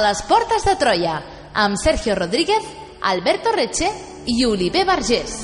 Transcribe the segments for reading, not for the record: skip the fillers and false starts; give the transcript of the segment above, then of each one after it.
les portes de Troia, amb Sergio Rodríguez, Alberto Reche i Oliver Vergés.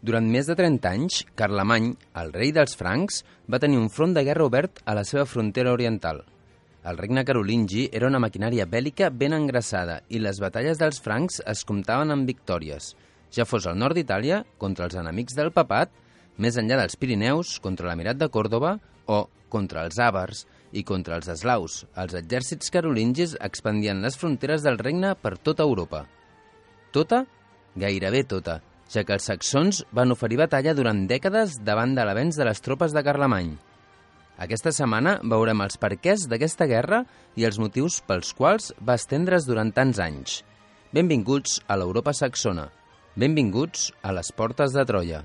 Durant més de 30 anys, Carlemany, el rei dels francs, va tenir un front de guerra obert a la seva frontera oriental. El regne carolingi era una maquinària bèl·lica ben engraçada i les batalles dels francs es comptaven amb victòries, ja fos al nord d'Itàlia, contra els enemics del papat, més enllà dels Pirineus, contra l'emirat de Còrdova, o contra els àvars i contra els eslaus. Els exèrcits carolingis expandien les fronteres del regne per tota Europa. Tota? Gairebé tota, ja que els saxons van oferir batalla durant dècades davant de l'avenç de les tropes de Carlemany. Aquesta setmana veurem els perquès d'aquesta guerra i els motius pels quals va estendre's durant tants anys. Benvinguts a l'Europa saxona. Benvinguts a les portes de Troia.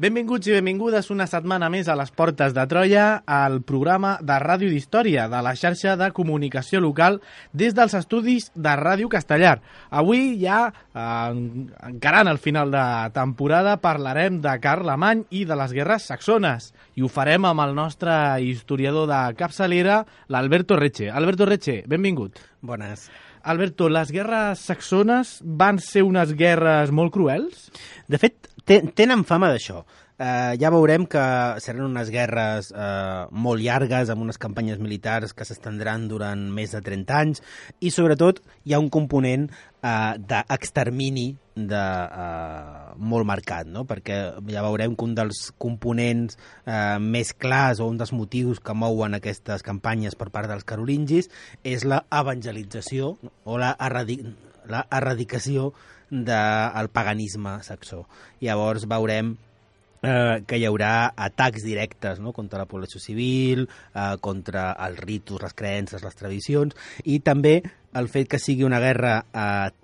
Benvinguts i benvingudes una setmana més a les Portes de Troia, al programa de Ràdio d'Història de la xarxa de comunicació local des dels estudis de Ràdio Castellar. Avui ja, encarant el final de temporada, parlarem de Carlemany i de les guerres saxones. I ho farem amb el nostre historiador de capçalera, l'Alberto Reche. Alberto Reche, benvingut. Bones. Alberto, les guerres saxones van ser unes guerres molt cruels? De fet, tenen fama d'això. Ja veurem que seran unes guerres molt llargues, amb unes campanyes militars que s'estendran durant més de 30 anys, i sobretot hi ha un component d'extermini molt marcat, no? Perquè ja veurem que un dels components més clars o un dels motius que mouen aquestes campanyes per part dels carolingis és la evangelització o la erradicació del paganisme saxó. Llavors veurem que hi haurà atacs directes, no? Contra la població civil, contra els ritus, les creences, les tradicions, i també el fet que sigui una guerra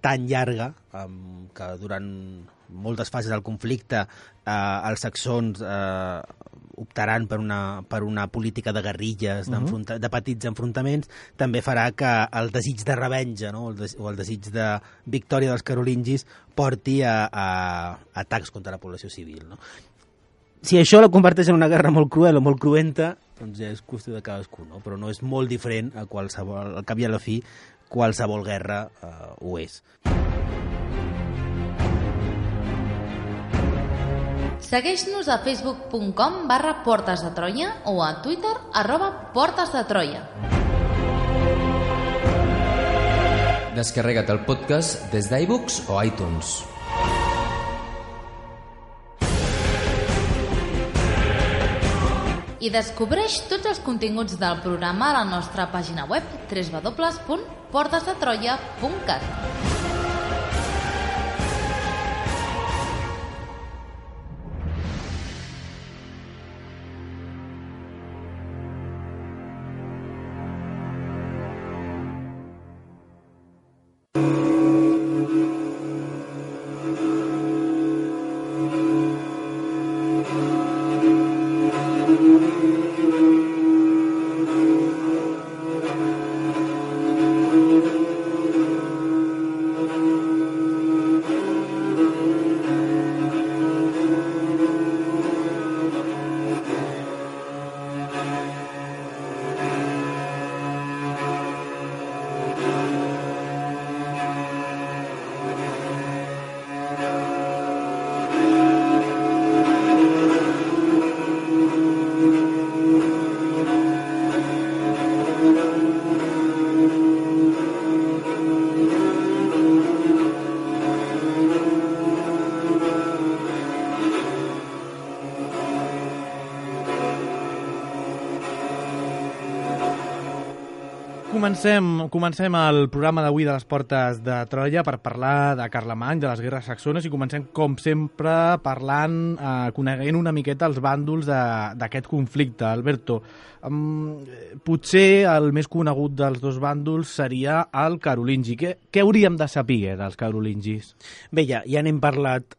tan llarga, que durant moltes fases del conflicte els saxons optaran per una política de guerrilles, de petits enfrontaments, també farà que el desig de revenja, no? o el desig de victòria dels carolingis porti a atacs contra la població civil, no? Si això la converteix en una guerra molt cruel o molt cruenta, doncs ja és qüestió de cadascú, no? Però no és molt diferent a qualsevol, al cap i a la fi, qualsevol guerra ho és. Segueix-nos a facebook.com/Portes de Troia o a Twitter @Portes de Troia. Descarrega't el podcast des d'iVoox o iTunes. I descobreix tots els continguts del programa a la nostra pàgina web www.portesdetroia.cat. comencem el programa d'avui de les Portes de Troia per parlar de Carlemany, de les guerres saxones, i comencem, com sempre, parlant, coneguent una miqueta els bàndols d'aquest conflicte. Alberto, potser el més conegut dels dos bàndols seria el carolingi. Què hauríem de saber dels carolingis? Bé, ja n'hem parlat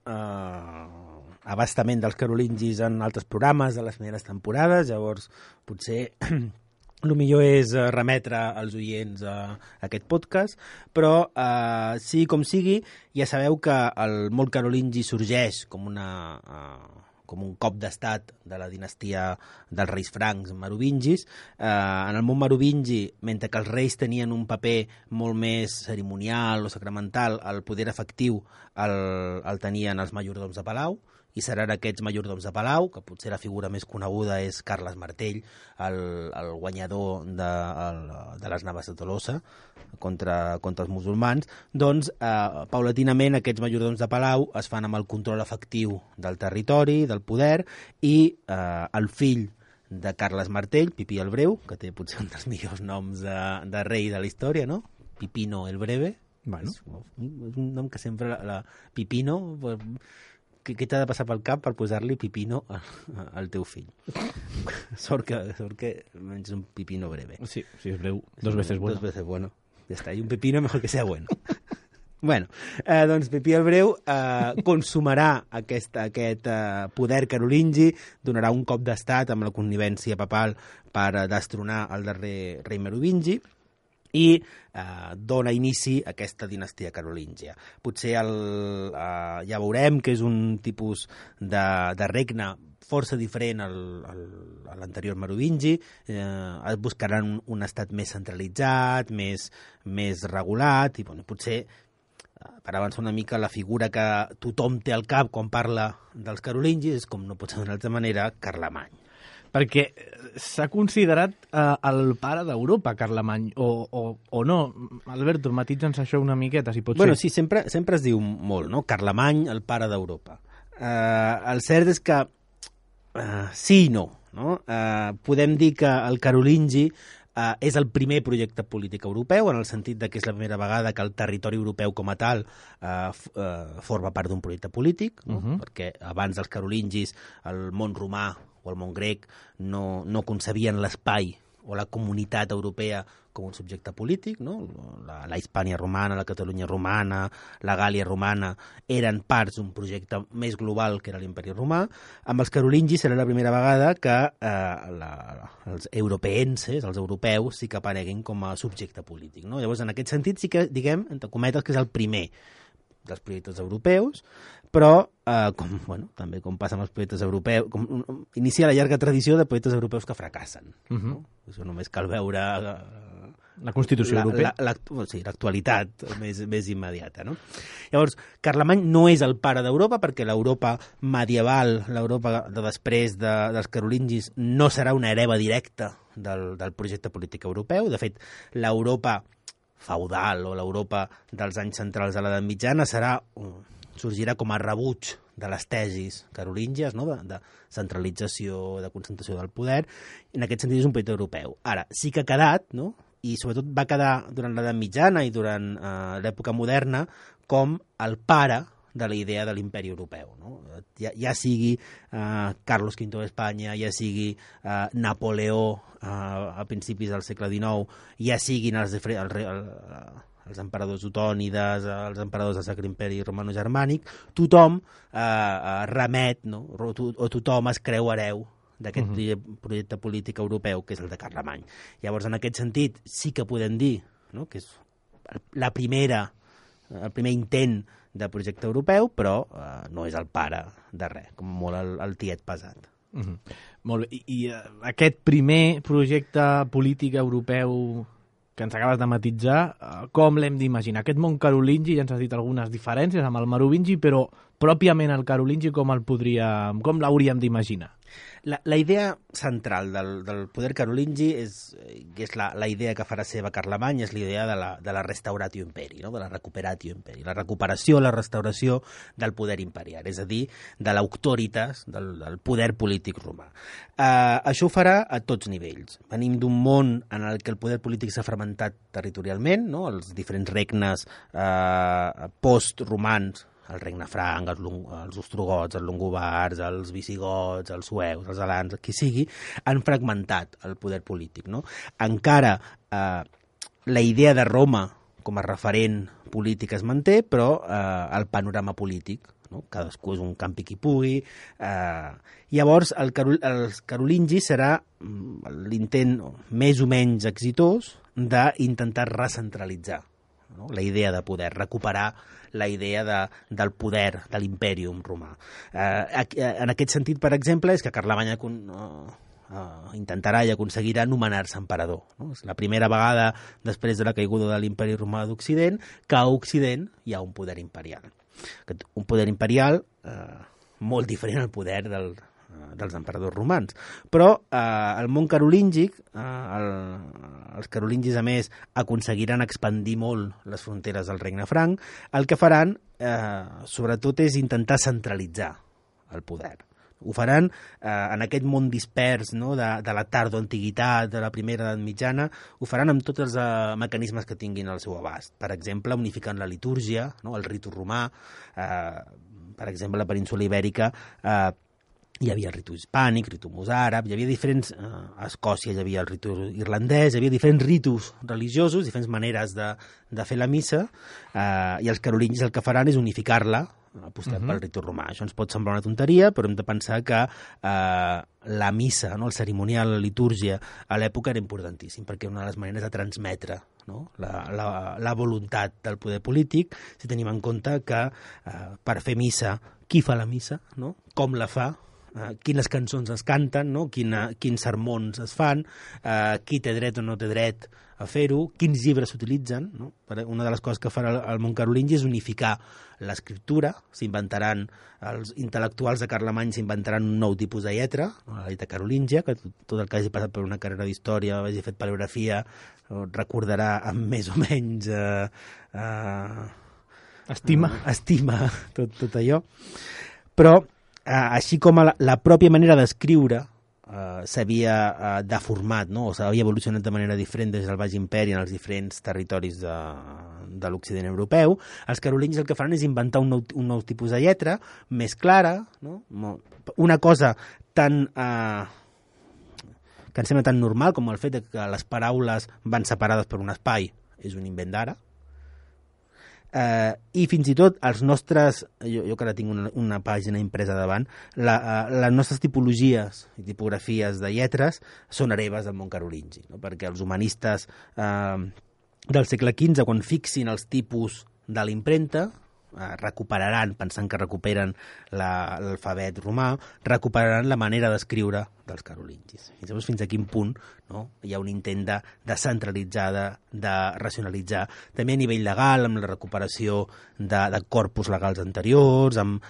abastament dels carolingis en altres programes de les primeres temporades, llavors potser el millor és remetre als oients a aquest podcast, però sigui com sigui, ja sabeu que el món carolingi sorgeix com un cop d'estat de la dinastia dels reis francs merovingis. En el món merovingi, mentre que els reis tenien un paper molt més cerimonial o sacramental, el poder efectiu el tenien els majordoms de palau, i seran aquests majordoms de palau, que potser la figura més coneguda és Carles Martell, el guanyador de les naves de Tolosa contra els musulmans. Doncs, paulatinament, aquests majordoms de palau es fan amb el control efectiu del territori, del poder, i el fill de Carles Martell, Pipí el Breu, que té potser un dels millors noms de rei de la història, no? Pipino el Breve. Bueno. És un nom que sempre... Pipino... Què t'ha de passar pel cap per posar-li Pipino al teu fill? Sort que menys un Pipino breve. Sí, és breu. Dos veces bueno. Dos veces bueno. Ja està. I un pepino mejor que sea bueno. Bueno, doncs Pipí el Breu consumarà aquest poder carolingi, donarà un cop d'estat amb la connivència papal per destronar el darrer rei merovingi, i dona inici a aquesta dinastia carolíngia. Potser ja veurem que és un tipus de regne força diferent a l'anterior merovingi. Es buscaran un estat més centralitzat, més regulat, i potser, per avançar una mica, la figura que tothom té al cap quan parla dels carolingis és, com no pot ser d'una altra manera, Carlemany. Perquè s'ha considerat el pare d'Europa, Carlemany, o no? Alberto, matitza'ns això una miqueta, si pot ser. Bueno, sí, sempre es diu molt, no? Carlemany, el pare d'Europa. El cert és que sí i no? Podem dir que el carolingi és el primer projecte polític europeu, en el sentit que és la primera vegada que el territori europeu com a tal forma part d'un projecte polític, no? Perquè abans dels carolingis el món romà o el món grec no concebien l'espai o la comunitat europea com un subjecte polític, no? La Hispània romana, la Catalunya romana, la Gàlia romana eren parts d'un projecte més global que era l'imperi romà. Amb els carolingis serà la primera vegada que els europeenses, els europeus, sí que apareguin com a subjecte polític, no? Llavors, en aquest sentit, sí que, diguem, entre cometes, que és el primer dels projectes europeus, però, també com passa amb els projectes europeus, inicia la llarga tradició de projectes europeus que fracassen. No? Això només cal veure la Constitució Europea. L'actualitat més immediata. No? Llavors, Carlemany no és el pare d'Europa, perquè l'Europa medieval, l'Europa de després dels carolingis, no serà una hereva directa del projecte polític europeu. De fet, l'Europa feudal o l'Europa dels anys centrals de l'edat mitjana sorgirà com a rebuig de les tesis carolíngies, no? de centralització, de concentració del poder. En aquest sentit és un projecte europeu. Ara, sí que ha quedat, no? I sobretot va quedar durant l'edat mitjana i durant l'època moderna com el pare de la idea de l'imperi europeu. No? Ja sigui Carlos V d'Espanya, ja sigui Napoleó a principis del segle XIX, ja siguin els emperadors otònides, els emperadors del Sacre Imperi Romano-Germànic, tothom remet, no? o tothom es creu hereu d'aquest projecte polític europeu, que és el de Carlemany. Llavors, en aquest sentit, sí que podem dir, no? que és el primer intent de projecte europeu, però no és el pare de res, com molt el tiet pesat. Molt bé. I aquest primer projecte polític europeu que ens acabes de matitzar, com l'hem d'imaginar? Aquest món carolingi, ja ens has dit algunes diferències amb el merovingi, però pròpiament el carolingi com l'hauríem d'imaginar? La idea central del poder carolingi és la idea que farà seva Carlemany, és la idea de la restauratio imperi, no? De la recuperatio imperi, la recuperació, la restauració del poder imperial, és a dir, de l'auctoritas, del poder polític romà. Això ho farà a tots nivells. Venim d'un món en el que el poder polític s'ha fragmentat territorialment, no? Els diferents regnes post-romans, el regne franc, els ostrogots, els longobards, els visigots, els sueus, els alans, qui sigui, han fragmentat el poder polític. No? Encara la idea de Roma com a referent polític es manté, però el panorama polític, no? Cadascú és un campi qui pugui. Llavors, els carolingis serà l'intent més o menys exitós d'intentar recentralitzar, no? La idea de poder, recuperar la idea del poder de l'impèrium romà. En aquest sentit, per exemple, és que Carlemany intentarà i aconseguirà nomenar-se emperador. No? És la primera vegada després de la caiguda de l'imperi romà d'Occident que a Occident hi ha un poder imperial. Un poder imperial molt diferent al poder dels emperadors romans. Però el món carolíngic, els carolingis, a més, aconseguiran expandir molt les fronteres del regne franc. El que faran, sobretot, és intentar centralitzar el poder. Ho faran en aquest món dispers, no? de la tardoantiguitat, de la primera edat mitjana, ho faran amb tots els mecanismes que tinguin al seu abast. Per exemple, unificant la litúrgia, no? El ritu romà. Per exemple, a la península ibèrica hi havia el ritu hispànic, ritu mosàrab, hi havia diferents... a Escòcia hi havia el ritu irlandès, hi havia diferents ritus religiosos, diferents maneres de fer la missa, i els carolingis el que faran és unificar-la, apostant pel ritu romà. Això ens pot semblar una tonteria, però hem de pensar que la missa, no? El cerimonial, la litúrgia, a l'època era importantíssim, perquè era una de les maneres de transmetre, no? la voluntat del poder polític, si tenim en compte que per fer missa, qui fa la missa, no? Com la fa, quines cançons es canten, no? Quins sermons es fan, qui té dret o no té dret a fer-ho, quins llibres s'utilitzen. No? Una de les coses que farà el món carolingi és unificar l'escriptura. S'inventaran, els intel·lectuals de Carlemany s'inventaran un nou tipus de lletra, la lletra carolíngia, que tot el que hagi passat per una carrera d'història, hagi fet paleografia, recordarà amb més o menys estima tot allò. Però així com la pròpia manera d'escriure s'havia deformat, no? O s'havia evolucionat de manera diferent des del Baix Imperi en els diferents territoris de l'Occident europeu, els carolingis el que faran és inventar un nou tipus de lletra, més clara, no? Una cosa tan... que em sembla tan normal com el fet que les paraules van separades per un espai és un invent d'ara. I fins i tot els nostres, jo que ara tinc una pàgina impresa davant, les nostres tipologies i tipografies de lletres són hereves del món carolingi, no? Perquè els humanistes del segle XV, quan fixin els tipus de l'impremta, recuperaran, pensant que recuperen l'alfabet romà, recuperaran la manera d'escriure dels carolingis. I llavors fins a quin punt, no? Hi ha un intent de centralitzar, de racionalitzar, també a nivell legal, amb la recuperació de corpus legals anteriors, amb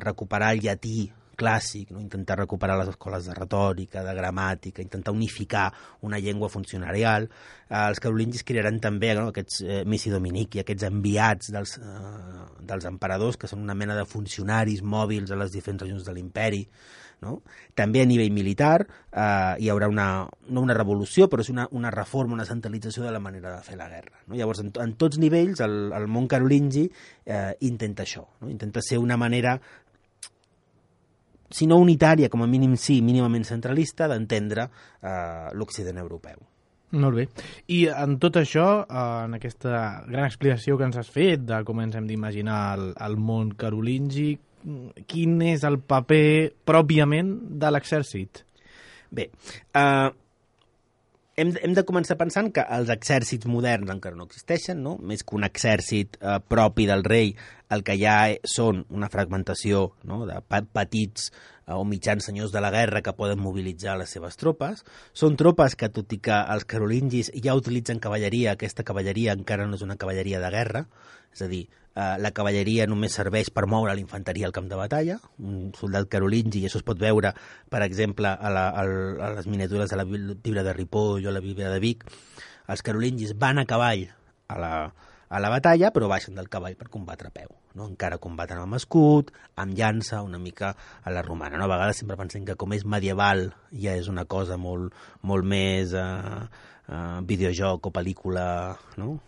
recuperar el llatí clàssic, no? Intentar recuperar les escoles de retòrica, de gramàtica, intentar unificar una llengua funcionarial. Els carolingis crearan també, no? Aquests missi dominici, aquests enviats dels emperadors, que són una mena de funcionaris mòbils a les diferents regions de l'imperi. No? També a nivell militar hi haurà no una revolució, però és una reforma, una centralització de la manera de fer la guerra. No? Llavors, en tots nivells, el món carolingi intenta això, no? Intenta ser una manera, si no unitària, com a mínim sí, mínimament centralista, d'entendre l'Occident europeu. Molt bé. I en tot això, en aquesta gran explicació que ens has fet de com ens hem d'imaginar el món carolingi, quin és el paper pròpiament de l'exèrcit? Bé, hem de començar pensant que els exèrcits moderns encara no existeixen, no? Més que un exèrcit propi del rei, el que hi ha són una fragmentació, no? De petits o mitjans senyors de la guerra que poden mobilitzar les seves tropes. Són tropes que, tot i que els carolingis ja utilitzen cavalleria, aquesta cavalleria encara no és una cavalleria de guerra, És a dir, la cavalleria només serveix per moure l'infanteria al camp de batalla. Un soldat carolingi, i això es pot veure, per exemple, a les miniatures de la Bíblia de Ripoll o la Bíblia de Vic. Els carolingis van a cavall a la batalla, però baixen del cavall per combatre a peu. No? Encara combaten amb escut, amb llança, una mica a la romana. No? A vegades sempre pensem que com és medieval ja és una cosa molt més videojoc o pel·lícula, no?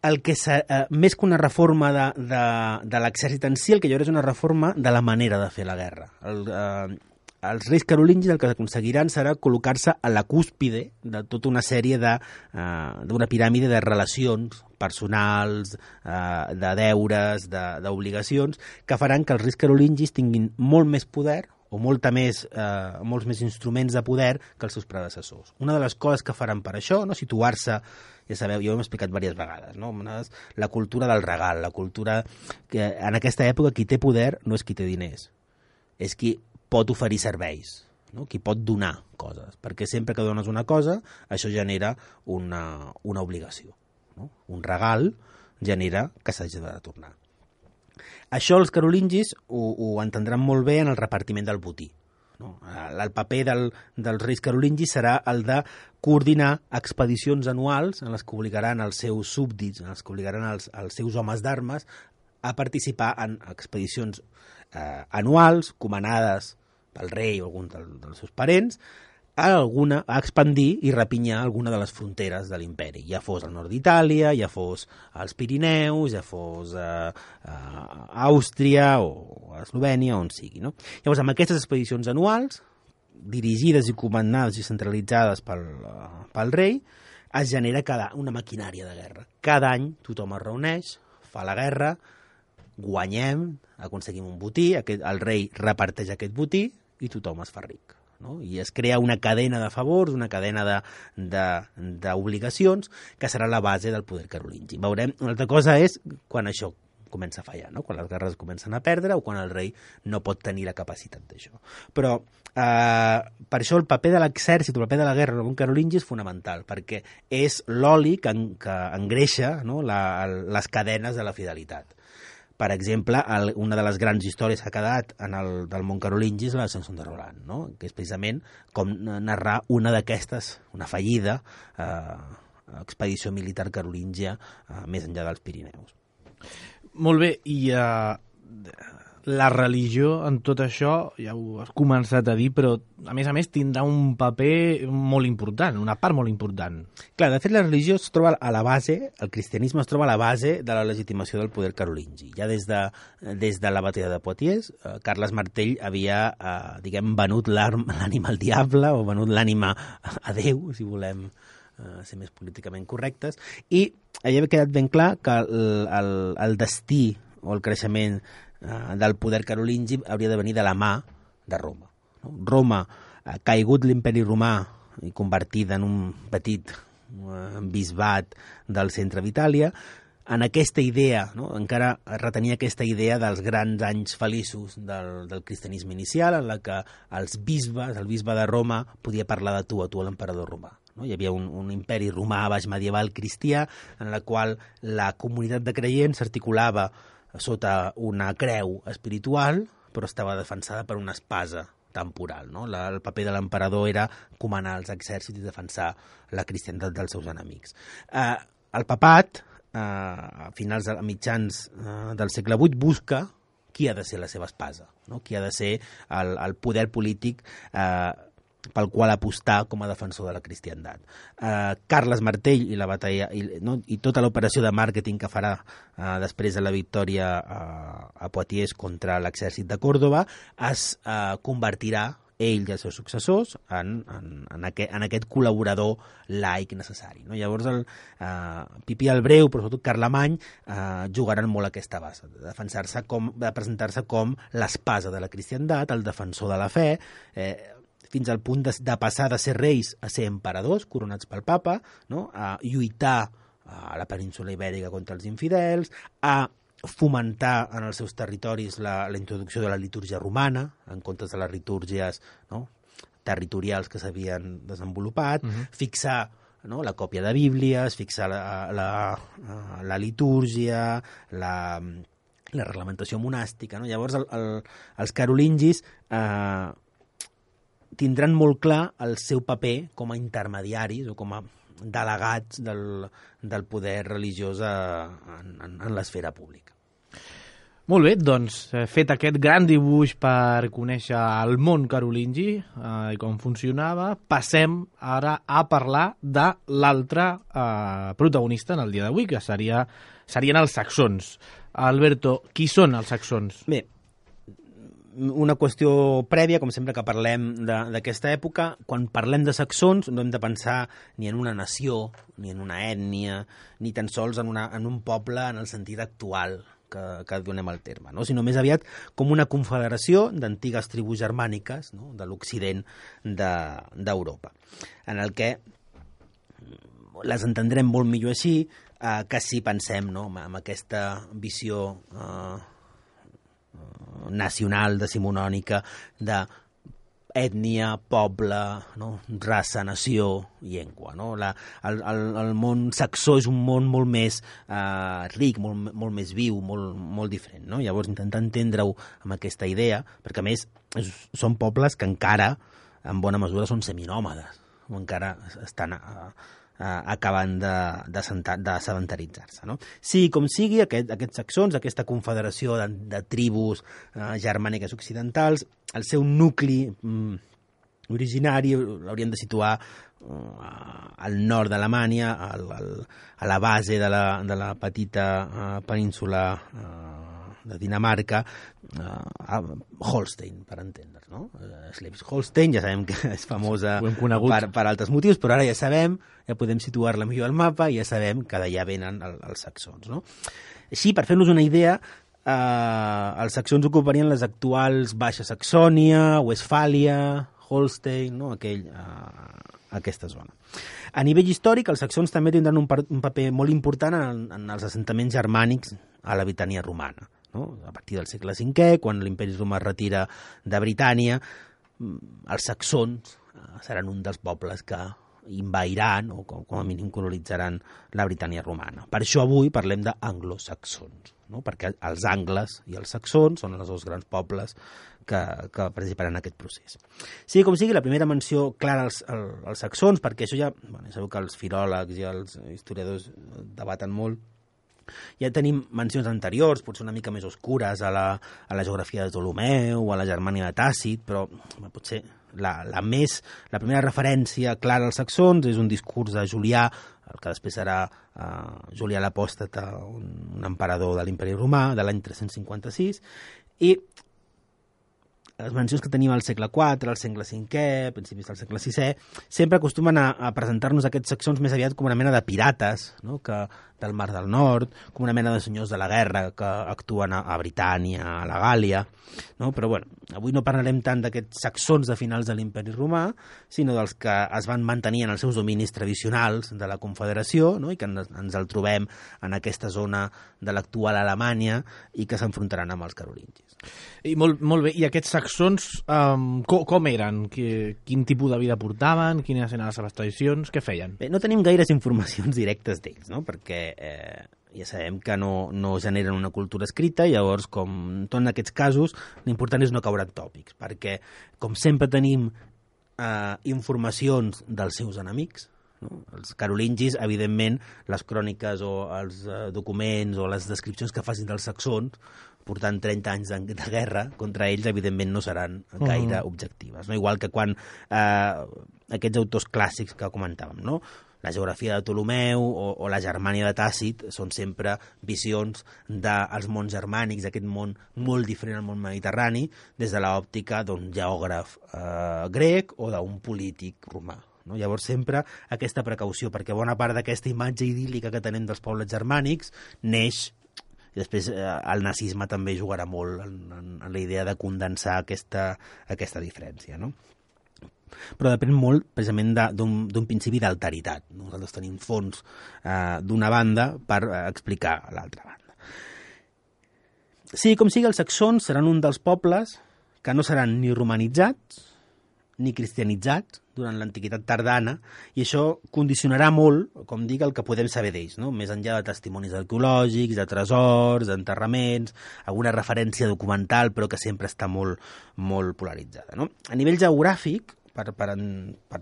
Més que una reforma de l'exèrcit en si, el que hi haurà és una reforma de la manera de fer la guerra. Els reis carolingis el que aconseguiran serà col·locar-se a la cúspide de tota una sèrie d'una piràmide de relacions personals, de deures, d'obligacions, que faran que els reis carolingis tinguin molt més poder o molts més instruments de poder que els seus predecessors. Una de les coses que faran per això, no, situar-se, ja sabeu, jo ho hem explicat diverses vegades, no? La cultura del regal, la cultura que en aquesta època qui té poder no és qui té diners, és qui pot oferir serveis, no? Qui pot donar coses, perquè sempre que dones una cosa, això genera una obligació. No? Un regal genera que s'hagi de retornar. Això els carolingis ho entendran molt bé en el repartiment del botí. No? El paper dels reis carolingis serà el de coordinar expedicions anuals en les que obligaran els seus súbdits, en les que obligaran els seus homes d'armes a participar en expedicions anuals, comanades pel rei o algun dels seus parents, a expandir i repinyar alguna de les fronteres de l'imperi, ja fos al nord d'Itàlia, ja fos als Pirineus, ja fos a Àustria o a Eslovènia, on sigui. No? Llavors, amb aquestes expedicions anuals, dirigides i comandades i centralitzades pel rei, es genera una maquinària de guerra. Cada any tothom es reuneix, fa la guerra, guanyem, aconseguim un botí, el rei reparteix aquest botí i tothom es fa ric. No? I es crea una cadena de favors, una cadena d'obligacions que serà la base del poder carolingi. Veurem, una altra cosa és quan això comença a fallar, no? Quan les guerres comencen a perdre o quan el rei no pot tenir la capacitat d'això. Però per això el paper de l'exèrcit, el paper de la guerra en un carolingi és fonamental, perquè és l'oli que engreixa, no? Les cadenes de la fidelitat. Per exemple, una de les grans històries que ha quedat del món carolingi és la de Samson de Roland, no? Que és precisament com narrar una d'aquestes, una fallida expedició militar carolíngia més enllà dels Pirineus. Molt bé, i la religió en tot això, ja ho has començat a dir, però a més tindrà un paper molt important, una part molt important. Clar, de fet la religió es troba a la base, el cristianisme es troba a la base de la legitimació del poder carolingi. Ja des de la batalla de Poitiers, Carles Martell havia, venut l'ànima al diable o venut l'ànima a Déu, si volem ser més políticament correctes, i havia quedat ben clar que el destí o el creixement del poder carolingi hauria de venir de la mà de Roma. Roma, caigut l'imperi romà i convertida en un petit bisbat del centre d'Itàlia, en aquesta idea, no? Encara retenia aquesta idea dels grans anys feliços del cristianisme inicial, en la que el bisbe de Roma podia parlar de tu a l'emperador romà. No? Hi havia un imperi romà baix medieval cristià en la qual la comunitat de creients s'articulava sota una creu espiritual, però estava defensada per una espasa temporal. No? El paper de l'emperador era comanar els exèrcits i defensar la cristianitat dels seus enemics. El papat, a mitjans del segle VIII, busca qui ha de ser la seva espasa, no? Qui ha de ser el poder polític pel qual apostar com a defensor de la cristiandat. Carles Martell i la batalla i tota l'operació de màrqueting que farà després de la victòria a Poitiers contra l'exèrcit de Còrdova es convertirà ell i els seus successors en aquest col·laborador laic necessari. No? Llavors Pipí el Breu, però sobretot Carlemany, jugaran molt a aquesta base, de presentar-se com l'espasa de la cristiandat, el defensor de la fe, fins al punt de passar de ser reis a ser emperadors coronats pel papa, no? A lluitar a la península ibèrica contra els infidels, a fomentar en els seus territoris la introducció de la litúrgia romana, en comptes de les litúrgies, no? Territorials que s'havien desenvolupat, fixar no? La còpia de Bíblies, fixar la litúrgia, la reglamentació monàstica. No? Llavors, els carolingis tindran molt clar el seu paper com a intermediaris o com a delegats del poder religiós en l'esfera pública. Molt bé, doncs, fet aquest gran dibuix per conèixer el món carolingi i com funcionava, passem ara a parlar de l'altre protagonista en el dia d'avui, que serien els saxons. Alberto, qui són els saxons? Bé, una qüestió prèvia, com sempre que parlem d'aquesta època, quan parlem de saxons no hem de pensar ni en una nació, ni en una ètnia, ni tan sols en un poble en el sentit actual que donem al terme, no? Sinó més aviat com una confederació d'antigues tribus germàniques, no? De l'Occident d'Europa, en el que les entendrem molt millor així que si pensem, no? En aquesta visió nacional, decimonònica, d'ètnia, poble, no? Raça, nació, llengua. No? El món saxó és un món molt més ric, molt més viu, molt diferent. No? Llavors, intentar entendre-ho amb aquesta idea, perquè a més són pobles que encara, en bona mesura, són seminòmades, o encara estan acabant de sedentaritzar-se. No? Sí, com sigui, aquests saxons, aquesta confederació de tribus germàniques occidentals, el seu nucli originari l'haurien de situar al nord d'Alemanya, a la base de la petita península de Dinamarca, a Holstein, per entendre's, no? Schleswig-Holstein, ja sabem que és famosa per altres motius, però ara ja sabem, ja podem situar-la millor al mapa i ja sabem que d'allà venen els saxons, no? Així, per fer-nos una idea, els saxons ocuparien les actuals Baixa Saxònia, Westfàlia, Holstein, no? Aquesta zona. A nivell històric, els saxons també tindran un paper molt important en els assentaments germànics a la Britània romana. No? A partir del segle V, quan l'imperi romà es retira de Britània, els saxons seran un dels pobles que invadiran o com a mínim colonitzaran la Britània romana. Per això avui parlem d'anglosaxons, no? Perquè els angles i els saxons són els dos grans pobles que participaran en aquest procés. Sigui com sigui, la primera menció clara als saxons, perquè això ja, sabeu que els filòlegs i els historiadors debaten molt, ja tenim mencions anteriors, potser una mica més oscures, a la geografia de Ptolemeu o a la Germània de Tàcit, però potser la primera referència clara als saxons és un discurs de Julià, el que després serà Julià l'Apòstata, un emperador de l'Imperi Romà, de l'any 356, i les mencions que tenim al segle IV, al segle V, principis del segle VI, sempre acostumen a presentar-nos aquests saxons més aviat com una mena de pirates, no? Que del Mar del Nord, com una mena de senyors de la guerra que actuen a Britània, a la Gàlia, no? Però bueno, avui no parlarem tant d'aquests saxons de finals de l'Imperi Romà, sinó dels que es van mantenir en els seus dominis tradicionals de la Confederació, no? I que ens el trobem en aquesta zona de l'actual Alemanya i que s'enfrontaran amb els carolingis. I molt bé, i aquests saxons com eren? Quin tipus de vida portaven? Quines eren les seves tradicions? Què feien? Bé, no tenim gaires informacions directes d'ells, no? Perquè ja sabem que no generen una cultura escrita, llavors, com tot en aquests casos, l'important és no caure en tòpics, perquè, com sempre tenim informacions dels seus enemics, no? Els carolingis, evidentment, les cròniques o els documents o les descripcions que facin dels saxons, portant 30 anys de guerra contra ells, evidentment no seran gaire objectives. No? Igual que quan aquests autors clàssics que comentàvem, no? La geografia de Ptolemeu o la Germània de Tàcit són sempre visions dels mons germànics, d'aquest món molt diferent al món mediterrani, des de l'òptica d'un geògraf grec o d'un polític romà. No? Llavors sempre aquesta precaució, perquè bona part d'aquesta imatge idíl·lica que tenim dels pobles germànics neix, i després el nazisme també jugarà molt en la idea de condensar aquesta diferència, no? Però depèn molt precisament d'un principi d'alteritat. Nosaltres tenim fons d'una banda per explicar l'altra banda. Sí, com sigui, els saxons seran un dels pobles que no seran ni romanitzats, ni cristianitzats, durant l'antiguitat tardana, i això condicionarà molt, com dic, el que podem saber d'ells, no? Més enllà de testimonis arqueològics, de tresors, d'enterraments, alguna referència documental, però que sempre està molt, molt polaritzada, no? A nivell geogràfic, per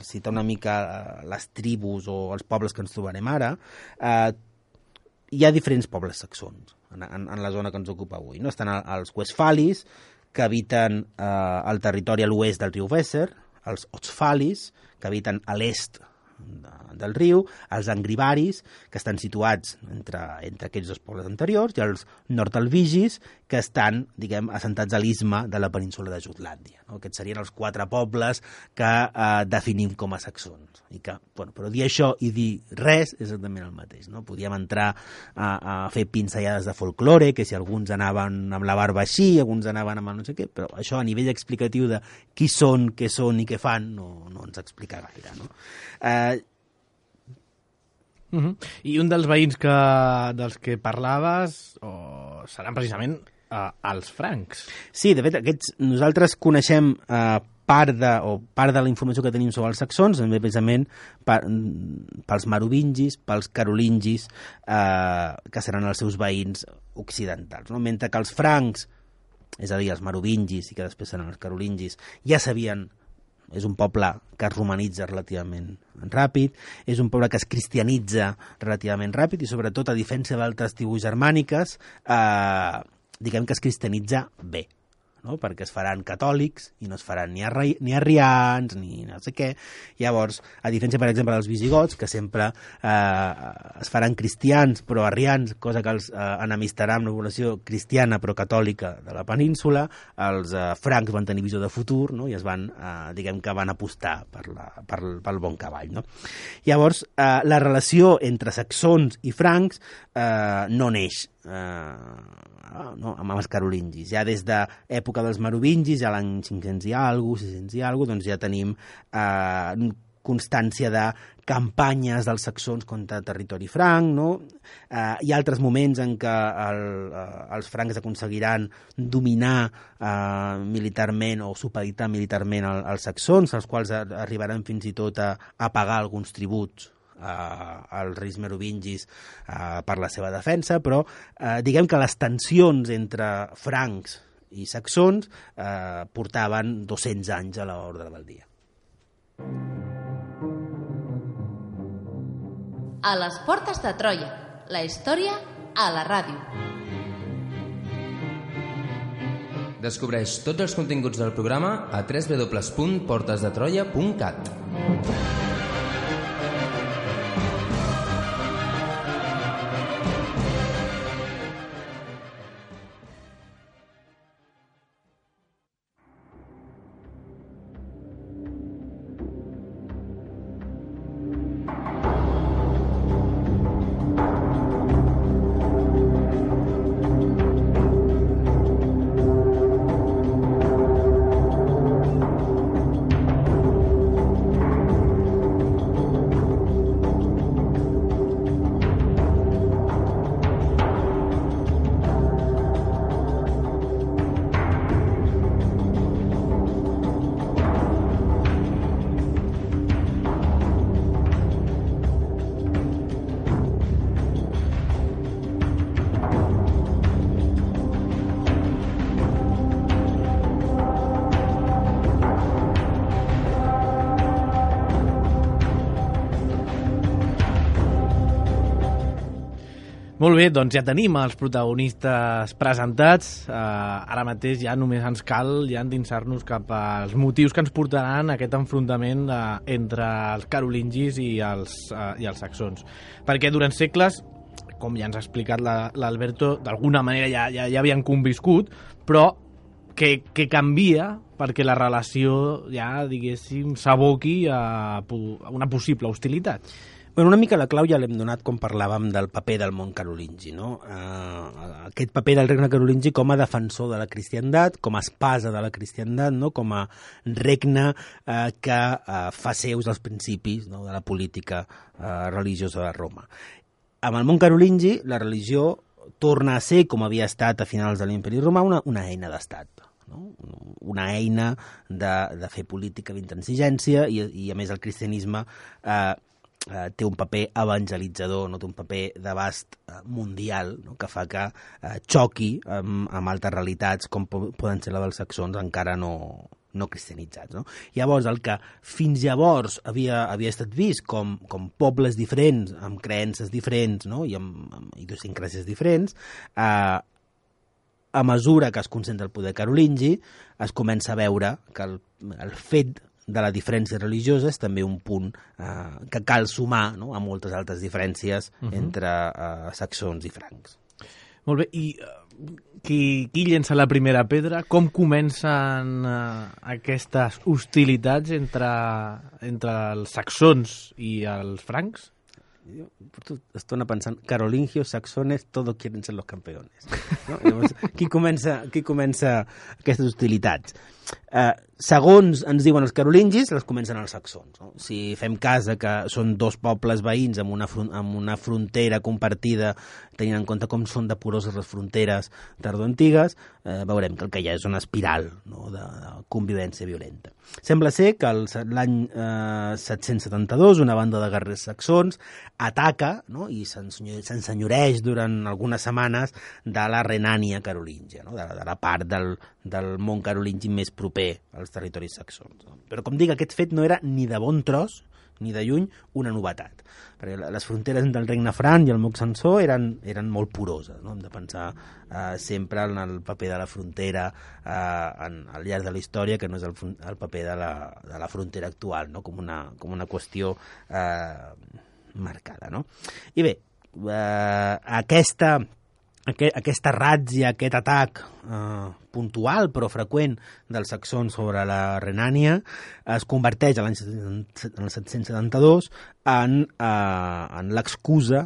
citar una mica les tribus o els pobles que ens trobarem ara, hi ha diferents pobles saxons en la zona que ens ocupa avui, no? Estan els Westfalis, que habiten al territori a l'oest del riu Weser, els Ostfalis, que habiten a l'est del riu, els Angribaris, que estan situats entre aquests dos pobles anteriors, i els Nordalvigis, que estan, diguem, assentats a l'istme de la península de Jutlàndia. No? Aquests serien els 4 pobles que definim com a saxons. I que, bueno, però dir això i dir res és exactament el mateix. No? Podíem entrar a fer pinzellades de folklore, que si alguns anaven amb la barba així, alguns anaven amb el no sé què, però això a nivell explicatiu de qui són, què són i què fan no ens explica gaire. No? I un dels veïns dels que parlaves seran precisament els francs. Sí, de fet, nosaltres coneixem part de la informació que tenim sobre els saxons, precisament pels merovingis, pels carolingis, que seran els seus veïns occidentals. No? Mentre que els francs, és a dir, els merovingis i que després seran els carolingis, ja sabien. És un poble que es romanitza relativament ràpid, és un poble que es cristianitza relativament ràpid i sobretot, a diferència d'altres tribus germàniques, diguem que es cristianitza bé, no? Perquè es faran catòlics i no es faran ni arrians ni no sé què. Llavors, a diferència, per exemple, dels visigots, que sempre es faran cristians però arrians, cosa que els enemistarà amb la població cristiana però catòlica de la península, els francs van tenir visió de futur, no? I es van, diguem que van apostar pel bon cavall, no? Llavors, la relació entre saxons i francs no neix amb els carolingis. Ja des d'època dels merovingis, ja l'any 500 i alguna cosa, 600 i alguna cosa, doncs ja tenim constància de campanyes dels saxons contra territori franc, no? Hi ha altres moments en què els francs aconseguiran dominar militarment o supeditar militarment els saxons, els quals arribaran fins i tot a pagar alguns tributs als reis merovingis per la seva defensa, però diguem que les tensions entre francs i saxons portaven 200 anys a l'ordre del dia. A les portes de Troia, la història a la ràdio. Descobreix tots els continguts del programa a www.portesdetroia.cat. Molt bé, doncs ja tenim els protagonistes presentats. Ara mateix ja només ens cal ja endinsar-nos cap als motius que ens portaran a aquest enfrontament entre els carolingis i els saxons. Perquè durant segles, com ja ens ha explicat l'Alberto, d'alguna manera ja havien conviscut, però que canvia perquè la relació ja, diguéssim, s'aboqui a una possible hostilitat. Bueno, una mica la clau ja l'hem donat com parlàvem del paper del món carolingi, no? Aquest paper del regne carolingi com a defensor de la cristiandat, com a espasa de la cristiandat, no? Com a regne que fa seus els principis, no? De la política religiosa de Roma. Amb el món carolingi, la religió torna a ser, com havia estat a finals de l'Imperi Romà, una eina d'estat. no? Una eina de fer política d'intransigència i a més el cristianisme té un paper evangelitzador, no? Té un paper d'abast mundial, no? Que fa que xoqui amb altres realitats com poden ser la dels saxons encara no cristianitzats. No? Llavors, el que fins llavors havia estat vist com pobles diferents, amb creences diferents, no? I amb idiosincràsies diferents, a mesura que es concentra el poder carolingi, es comença a veure que el fet de la diferència religiosa és també un punt que cal sumar, no? A moltes altres diferències entre saxons i francs. Molt bé, i qui llença la primera pedra? Com comencen aquestes hostilitats entre els saxons i els francs? Jo porto estona pensant, carolingios, saxones, todos quieren ser los campeones. No? Llavors, qui comença aquestes hostilitats? Segons ens diuen els carolingis, les comencen els saxons. No? Si fem cas que són dos pobles veïns amb una frontera compartida, tenint en compte com són de poroses les fronteres tardoantigues, veurem que el que hi ha és una espiral, no? de convivència violenta. Sembla ser que l'any 772 una banda de guerrers saxons ataca, no? I s'ensenyoreix durant algunes setmanes de la Renània carolíngia, no? de la part del món carolingi més proper als territoris saxons. No? Però, com dic, aquest fet no era ni de bon tros, ni de lluny, una novetat. Perquè les fronteres del regne franc i el moc sansó eren molt poroses. No? Hem de pensar sempre en el paper de la frontera al llarg de la història, que no és el paper de la frontera actual, no? com una qüestió marcada. No? I bé, aquesta ràtzia, aquest atac puntual però freqüent dels saxons sobre la Renània es converteix l'any 772 en l'excusa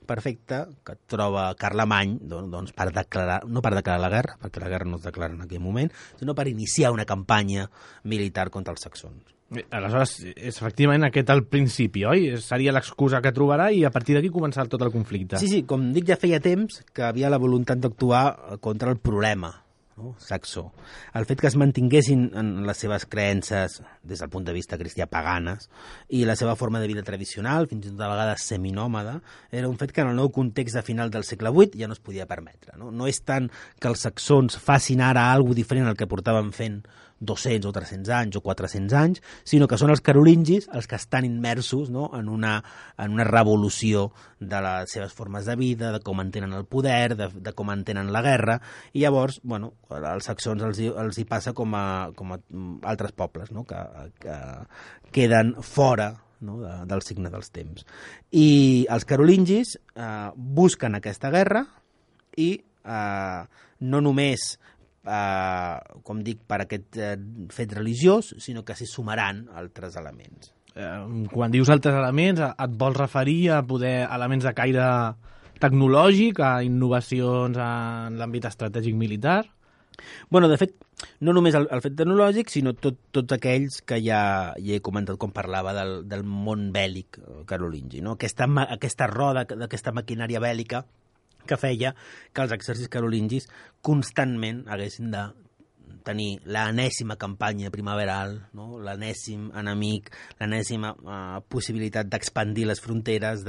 perfecta que troba Carlemany doncs, per declarar, no per declarar la guerra, perquè la guerra no es declara en aquell moment, sinó per iniciar una campanya militar contra els saxons. Aleshores, és efectivament aquest el principi, oi? Seria l'excusa que trobarà i a partir d'aquí començar tot el conflicte. Sí, com dic, ja feia temps que havia la voluntat d'actuar contra el problema, no? Saxó. El fet que es mantinguessin en les seves creences des del punt de vista cristià paganes i la seva forma de vida tradicional, fins i tot a vegades seminòmada, era un fet que en el nou context de final del segle VIII ja no es podia permetre. No és tant que els saxons facin ara alguna cosa diferent al que portaven fent 200 o 300 anys o 400 anys, sinó que són els carolingis els que estan immersos, no? en una revolució de les seves formes de vida, de com entenen el poder, de com entenen la guerra, i llavors, bueno, als saxons els hi passa com a altres pobles, no? que queden fora, no? del signe dels temps. I els carolingis busquen aquesta guerra i no només com dic, per aquest fet religiós, sinó que s'hi sumaran altres elements. Quan dius altres elements, et vols referir a elements de caire tecnològic, a innovacions en l'àmbit estratègic militar? Bueno, de fet, no només el fet tecnològic, sinó tots aquells que ja he comentat quan parlava del món bèl·lic carolingi, no? Aquesta roda, d'aquesta maquinària bèl·lica que feia que els exèrcits carolingis constantment haguessin de tenir l'enèsima campanya primaveral, no? L'enèsim enemic, l'enèsima possibilitat d'expandir les fronteres.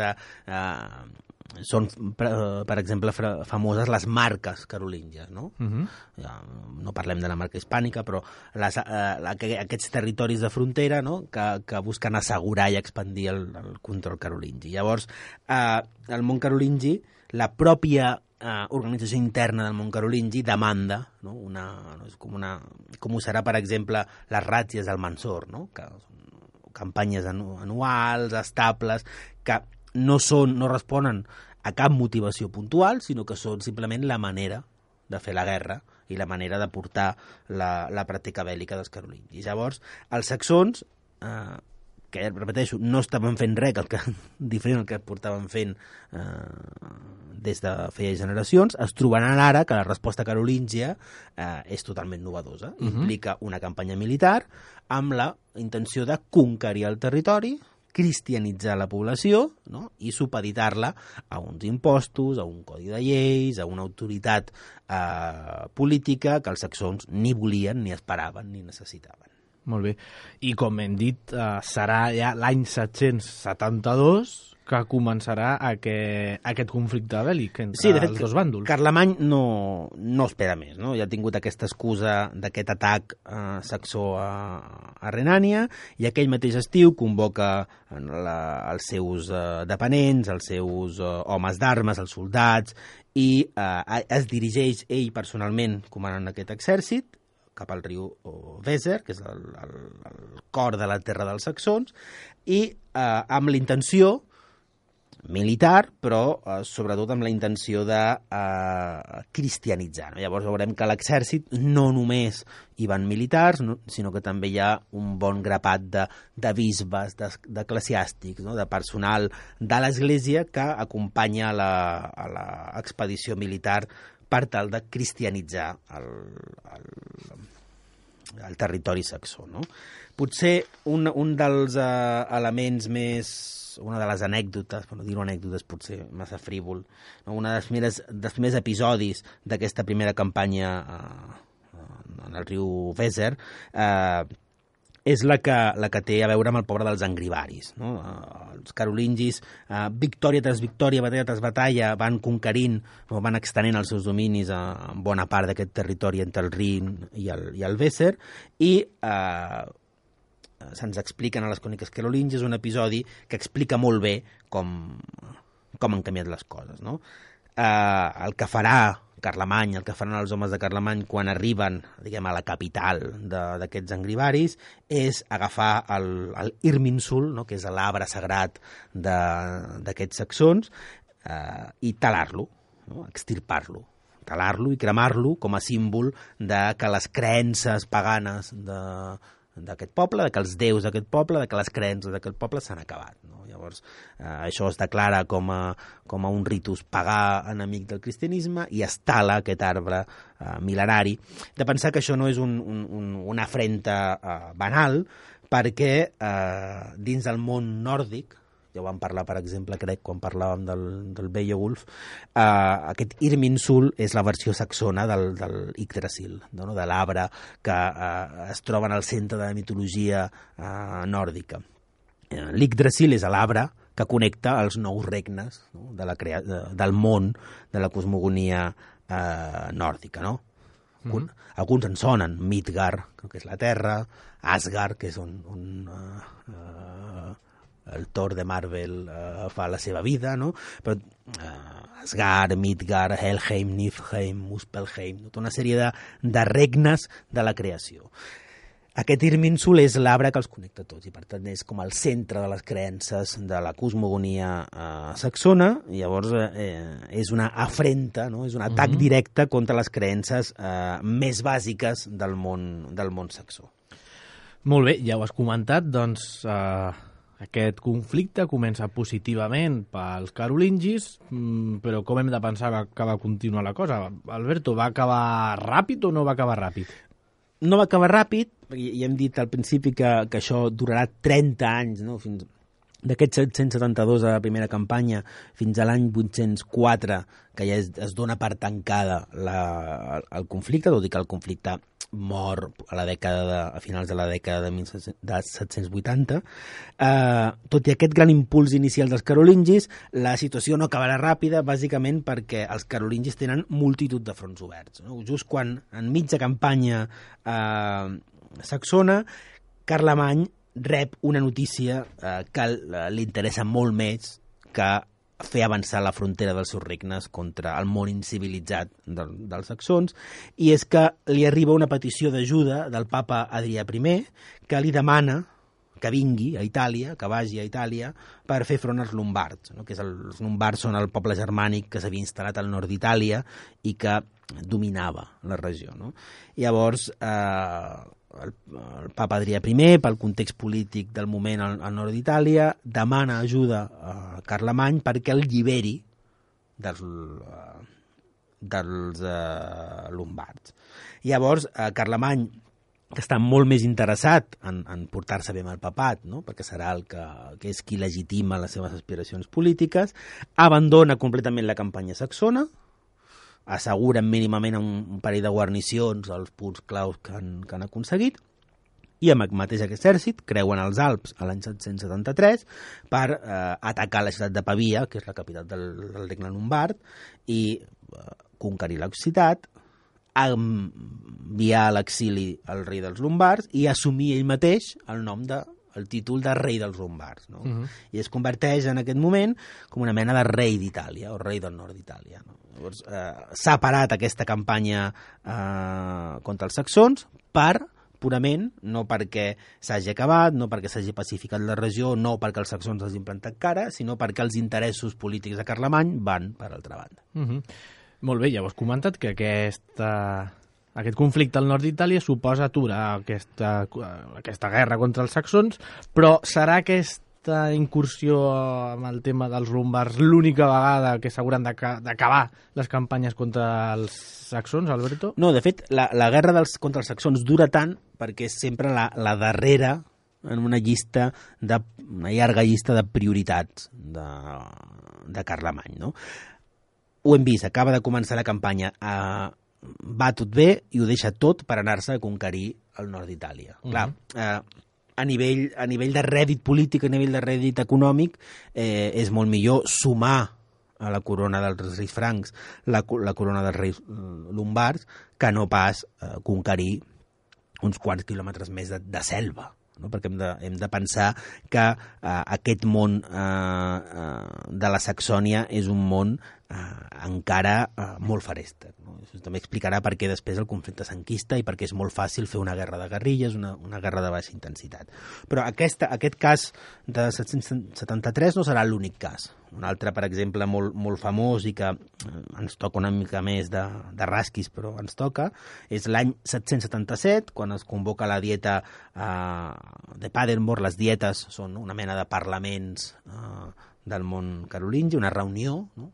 Són, per exemple, famoses les marques carolíngies, no? No parlem de la marca hispànica, però aquests territoris de frontera, no? que busquen assegurar i expandir el control carolingi. Llavors, el món carolingi, la pròpia organització interna del món carolingi demanda, no? Com ho serà, per exemple, les ràtzies del Mansor, no? Que són campanyes anuals, estables, que no responen a cap motivació puntual, sinó que són simplement la manera de fer la guerra i la manera de portar la pràctica bèl·lica dels carolingis. Llavors, els saxons, que, repeteixo, no estaven fent res diferent al que portaven fent des de feia generacions, es trobaran ara que la resposta carolíngia és totalment novedosa. Implica una campanya militar amb la intenció de conquerir el territori cristianitzar la població, no? I supeditar-la a uns impostos, a un codi de lleis, a una autoritat política que els saxons ni volien, ni esperaven, ni necessitaven. Molt bé. I com hem dit, serà ja l'any 772 que començarà aquest conflicte bèl·lic entre els dos bàndols. Carlemany no espera més, no? Ja ha tingut aquesta excusa d'aquest atac saxó a Renània, i aquell mateix estiu convoca els seus dependents, els seus homes d'armes, els soldats, i es dirigeix ell personalment comandant aquest exèrcit cap al riu Weser, que és el cor de la terra dels saxons, i amb l'intenció militar, però sobretot amb la intenció de cristianitzar. Llavors veurem que a l'exèrcit no només hi van militars, sinó que també hi ha un bon grapat de bisbes, d'eclesiàstics, de personal de l'Església que acompanya a l'expedició militar per tal de cristianitzar el territori saxó. No? Potser un dels elements més, una de les anècdotes, per no dir-ho anècdotes potser massa frívol, no? Un dels primers episodis d'aquesta primera campanya en el riu Weser és la que té a veure amb el poble dels angribaris. No? Els carolingis, victòria tras victòria, batalla tras batalla, van conquerint, van extenent els seus dominis a bona part d'aquest territori entre el Rin i el Weser, i se'ns expliquen a les cròniques carolingies un episodi que explica molt bé com han canviat les coses. No? El que farà Carlemany, el que faran els homes de Carlemany quan arriben, diguem, a la capital d'aquests angribaris, és agafar l'Irminsul, no? Que és l'arbre sagrat d'aquests saxons, i talar-lo, no? Extirpar-lo, talar-lo i cremar-lo com a símbol de que les creences paganes d'aquest poble, que els déus d'aquest poble, que les creences d'aquest poble s'han acabat. No? Llavors, això es declara com a un ritus pagà enemic del cristianisme i es tala aquest arbre mil·lenari. De pensar que això no és una afrenta banal, perquè dins del món nòrdic, ja ho vam parlar, per exemple, crec, quan parlàvem del Beowulf, aquest Irminsul és la versió saxona del Yggdrasil, no? De l'arbre que es troba en el centre de la mitologia nòrdica. L'Yggdrasil és l'arbre que connecta els nous regnes, no? Del món, de la cosmogonia nòrdica, no? Alguns en sonen, Midgard, que és la terra, Asgard, que és on el Thor de Marvel fa la seva vida, no? Però Asgard, Midgard, Helheim, Niflheim, Muspelheim, tota una sèrie de regnes de la creació. Aquest Irminsul és l'arbre que els connecta tots i per tant és com el centre de les creences de la cosmogonia saxona, i llavors és una afrenta, no? És un atac directe contra les creences més bàsiques del món saxó. Molt bé, ja ho has comentat, doncs aquest conflicte comença positivament pels carolingis, però com hem de pensar que va continuar la cosa? Alberto, va acabar ràpid o no va acabar ràpid? No va acabar ràpid, perquè ja hem dit al principi que això durarà 30 anys, no? Fins d'aquest 772 a la primera campanya fins a l'any 804, que ja es dona per tancada el conflicte, tot i que el conflicte mor a finals de la dècada de 1780. Tot i aquest gran impuls inicial dels carolingis, la situació no acabarà ràpida, bàsicament perquè els carolingis tenen multitud de fronts oberts. No? Just quan, en mitja campanya saxona, Carlemany rep una notícia que li interessa molt més que fer avançar la frontera dels seus regnes contra el món incivilitzat dels saxons, i és que li arriba una petició d'ajuda del papa Adrià I, que li demana que vingui a Itàlia, que vagi a Itàlia per fer front als lombards, no? Que els lombards són el poble germànic que s'havia instal·lat al nord d'Itàlia i que dominava la regió. No? Llavors, el papa Adrià I, pel context polític del moment al nord d'Itàlia, demana ajuda a Carlemany perquè el lliberi dels lombards. Llavors, Carlemany que està molt més interessat en portar-se bé amb el papat, no? Perquè serà el que és qui legitima les seves aspiracions polítiques, abandona completament la campanya saxona, asseguren mínimament un parell de guarnicions als punts claus que han aconseguit, i amb el mateix exèrcit creuen els Alps a l'any 773 per atacar la ciutat de Pavia, que és la capital del regne lombard, i conquerir l'Occitat, enviar a l'exili el rei dels lombards i assumir ell mateix el títol de rei dels lombards, no? I es converteix en aquest moment com una mena de rei d'Itàlia o rei del nord d'Itàlia, no? Llavors s'ha parat aquesta campanya contra els saxons purament, no perquè s'hagi acabat, no perquè s'hagi pacificat la regió, no perquè els saxons hagin plantat cara, sinó perquè els interessos polítics de Carlemany van per altra banda. Molt bé, llavors comenta't que aquest conflicte al nord d'Itàlia suposa aturar aquesta guerra contra els saxons, però serà aquesta incursió amb el tema dels lombards l'única vegada que s'hauran d'acabar les campanyes contra els saxons, Alberto? No, de fet, la guerra contra els saxons dura tant perquè és sempre la darrera en una llarga llista de prioritats de Carlemany, no? Ho hem vist, acaba de començar la campanya, va tot bé i ho deixa tot per anar-se a conquerir el nord d'Itàlia. Clar, a nivell de rèdit polític, a nivell de rèdit econòmic, és molt millor sumar a la corona dels reis francs la corona dels reis lombards que no pas conquerir uns quants quilòmetres més de selva. No? Perquè hem de pensar que aquest món de la Saxònia és un món encara molt farèster. No? Això també explicarà per què després el conflicte s'enquista i perquè és molt fàcil fer una guerra de guerrilles, una guerra de baixa intensitat. Però aquest cas de 773 no serà l'únic cas. Un altre, per exemple, molt famós i que ens toca una mica més de rasquis, però ens toca, és l'any 777, quan es convoca la dieta de Paderborn. Les dietes són una mena de parlaments del món carolingi, una reunió, no?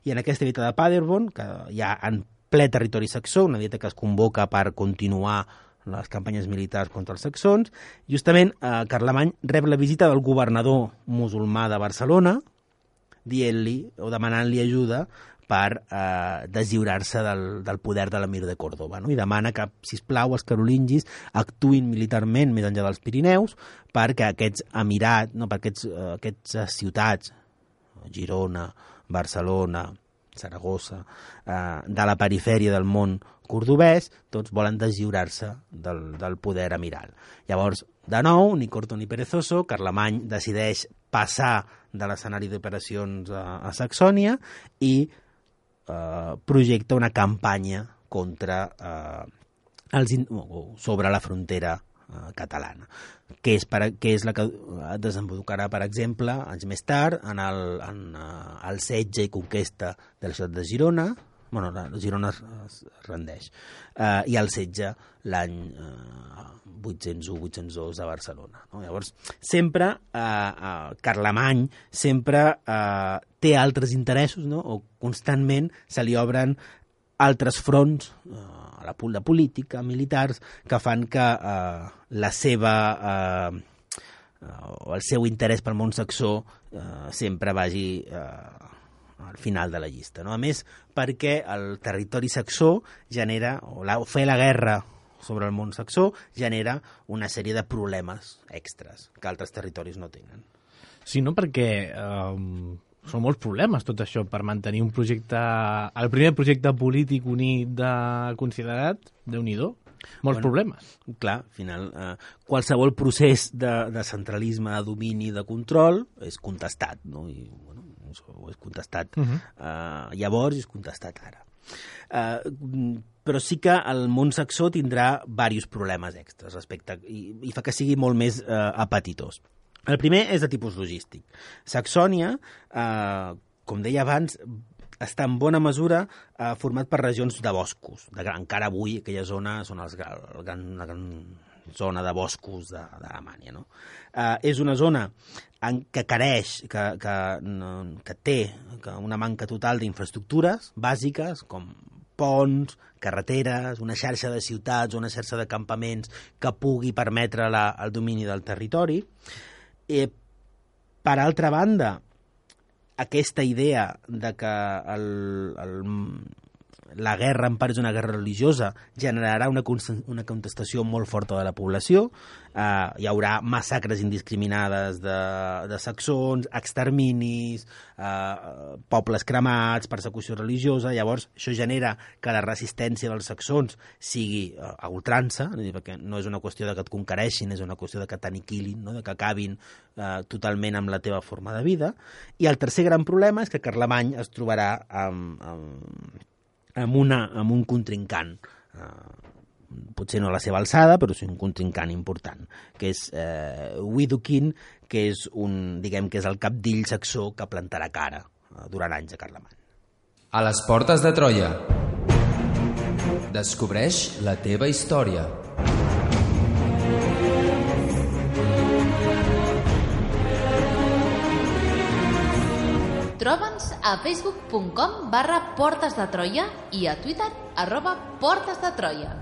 I en aquesta dieta de Paderborn, que hi ha en ple territori saxó, una dieta que es convoca per continuar les campanyes militars contra els saxons, justament Carlemany rep la visita del governador musulmà de Barcelona, dient-li o demanant-li ajuda per deslliurar-se del poder de l'emir de Còrdova, no? I demana que, sisplau, els carolingis actuïn militarment més enllà dels Pirineus perquè aquests emirats, no, per aquestes ciutats, Girona, Barcelona, Saragossa, de la perifèria del món cordobès, tots volen deslliurar-se del poder amiral. Llavors, de nou, ni corto ni perezoso, Carlemany decideix passar de l'escenari d'operacions a Saxònia i projecta una campanya sobre la frontera catalana, que és la que desembocarà, per exemple, anys més tard, en el setge i conquesta de la ciutat de Girona. Bueno, Girona es rendeix, i el setge l'any 801-802 a Barcelona, no? Llavors, sempre Carlemany sempre té altres interessos, no? O constantment se li obren altres fronts a la de política, militars, que fan que el seu interès pel món saxó sempre vagi al final de la llista, no? A més, perquè el territori saxó genera, o fer la guerra sobre el món saxó genera una sèrie de problemes extras que altres territoris no tenen. Sí, no? Perquè són molts problemes tot això per mantenir un projecte, el primer projecte polític unit considerat, Déu-n'hi-do, molts problemes. Clar, al final, qualsevol procés de centralisme, de domini, de control és contestat, no? I, bueno, és contestat llavors i és contestat ara. Però sí que el món saxó tindrà diversos problemes extras respecte i fa que sigui molt més apetitós. El primer és de tipus logístic. Saxònia, com deia abans, està en bona mesura format per regions de boscos. Encara avui aquella zona són la gran zona de boscos d'Alemanya, no? És una zona que careix, que té una manca total d'infraestructures bàsiques, com ponts, carreteres, una xarxa de ciutats, una xarxa de campaments que pugui permetre el domini del territori. Per altra banda, aquesta idea de que la guerra en part és una guerra religiosa generarà una contestació molt forta de la població. Hi haurà massacres indiscriminades de saxons, exterminis, pobles cremats, persecució religiosa. Llavors això genera que la resistència dels saxons sigui a ultrança, perquè no és una qüestió de que et conquereixin, és una qüestió de que t'aniquilin, no? De que acabin totalment amb la teva forma de vida. I el tercer gran problema és que Carlemany es trobarà amb un contrincant, potser no a la seva alçada, però sí un contrincant important, que és Widukind, que és que és el capdill saxó que plantarà cara durant anys a Carlemany. A les portes de Troia. Descobreix la teva història. Troba'ns a facebook.com/Portes de Troia i a Twitter @Portes de Troia.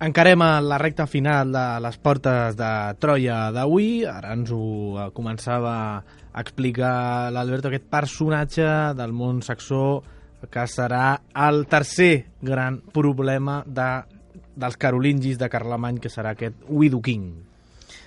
Encarem a la recta final de les portes de Troia d'avui. Ara ens ho començava a explicar l'Alberto, aquest personatge del món saxó que serà el tercer gran problema dels carolingis de Carlemany, que serà aquest Widukind.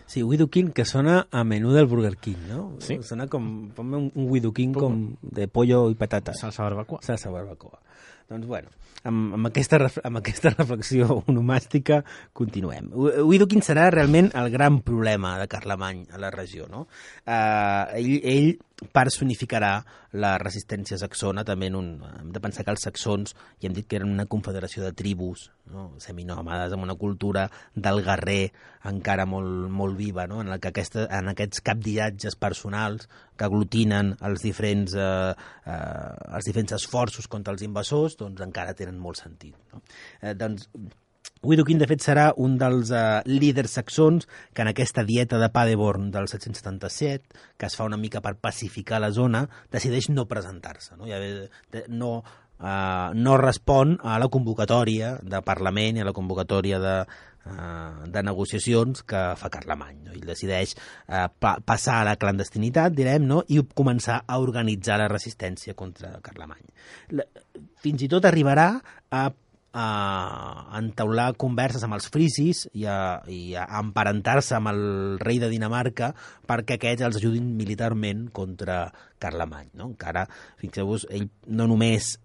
Sí, Widukind, que sona a menú del Burger King, no? Sí. Sona com un Widukind com de pollo i patata. Salsa barbacoa. Salsa barbacoa. Doncs bueno, amb aquesta reflexió onomàstica continuem. Widukind serà realment el gran problema de Carlemany a la regió, no? Ell personificarà la resistència saxona. També hem de pensar que els saxons, ja hem dit que eren una confederació de tribus, no? Seminòmades, amb una cultura del guerrer encara molt, molt viva, no? En aquests capdillatges personals que aglutinen els diferents esforços contra els invasors, doncs encara tenen molt sentit, no? Doncs Widukind, de fet, serà un dels líders saxons que en aquesta dieta de Paderborn del 777, que es fa una mica per pacificar la zona, decideix no presentar-se, no? No respon a la convocatòria de Parlament i a la convocatòria de negociacions que fa Carlemany, no? Ell decideix passar a la clandestinitat, direm, no? I començar a organitzar la resistència contra Carlemany. Fins i tot arribarà a entaular converses amb els frisis i a emparentar-se amb el rei de Dinamarca perquè aquests els ajudin militarment contra Carlemany, no? Encara, fixeu-vos, ell no només